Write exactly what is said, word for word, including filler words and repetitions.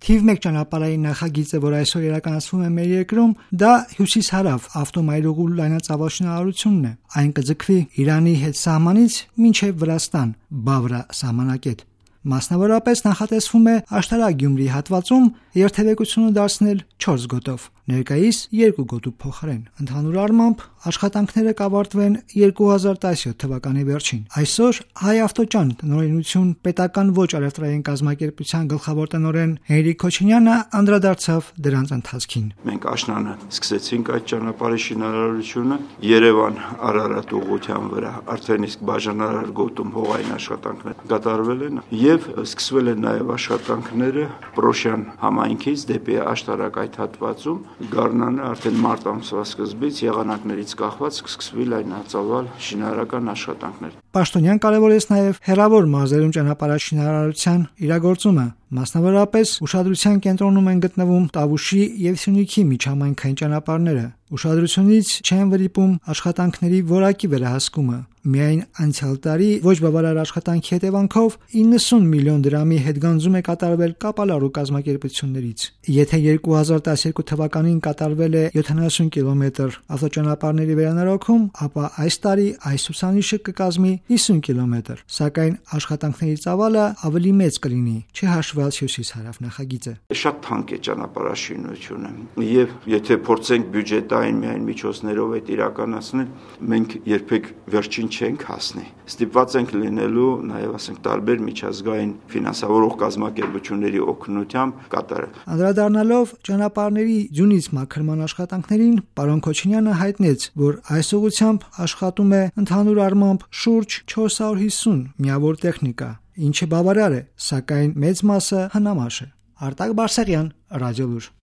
Թիվ մեկ ճանապարհային նախագիծը, որ այսօր իրականացվում է մեր երկրում, դա հյուսիս-հարավ ավտոմայրուղու լայնածավալ շինարարությունն է։ Այն կձգվի Իրանի հետ սահմանից մինչև Վրաստան, Բավրա սահմանակետ։ Մասնավորապես նախատեսվում է Աշտարակ-Գյումրի հատվածում երթևեկությունը դարձնել չորս գոտով, ներկայիս երկու գոտու փոխարեն։ Ընդհանուր առմամբ աշխատանքները կավարտվեն երկու հազար տասնյոթ թվականի վերջին։ Այսօր Հայ-Ավտոճան տնօրինություն պետական ոչ առևտրային կազմակերպության գլխավոր տնօրեն Հենրիկ Քոչինյանը անդրադարձավ դրանց ընթացքին։ Մենք աշնանը սկսեցինք այդ ճանապարհի շինարարությունը Երևան-Արարատ ուղղության վրա, արդեն իսկ բաժանարար գոտում հողային աշխատանքներ կատարվել են եւ սկսվել են նաեւ աշխատանքները Պրոշյան համայնքից դեպի Աշտարակ այդ հատվածում։ Գարնանը արդեն մարտ ամսվա սկզբից եղանակներից կախված սկսվի լայնածավալ շինարարական աշխատանքներ։ Պաշտոնյան կարևորեց նաև հեռավոր մարզերում ճանապարհաշինարարության իրագործումը։ Մասնավորապես ուշադրության կենտրոնում են գտնվում Տավուշի եւ Սյունիքի միջհամայնքային ճանապարհները։ Ուշադրությունից չեն վրիպում աշխատանքների որակի վերահսկումը։ Միայն անցյալ տարի ոչ բավարար աշխատանքի հետևանքով իննսուն միլիոն դրամի հետգանձում է կատարվել կապալառու կազմակերպություններից։ Եթե երկու հազար տասներկու թվականին կատարվել է յոթանասուն կիլոմետր ավտոճանապարհների վերանորոգում, ապա այս տարի այս ցուցանիշը կկազմի հիսուն կիլոմետր, սակայն աշխատանքների ծավալը ավելի մեծ կլինի, չհաշված հյուսիս-հարավ նախագիծը։ Շատ թանկ է ճանապարհաշինությունը, եւ եթե փորձենք բյուջետային միայն միջոցներով այդ իրականացնել, մենք երբեք վերջին չենք հասնի։ Ստիպված ենք լինելու նաեւ ասենք տարբեր միջազգային ֆինանսավորող կազմակերպությունների օգնությամբ կատարել։ Անդրադառնալով ճանապարհների ձյունից մաքրման աշխատանքներին, պարոն Քոչինյանը հայտնեց, որ այս ուղղությամբ աշխատում է ընդհանուր առմամբ շուրջ չորս հարյուր հիսուն միավոր տեխնիկա, ինչը բավարար է, սակայն մեծ մասը հնամաշ է։ Արտակ Բարսեղյան, Ռադիոլուր։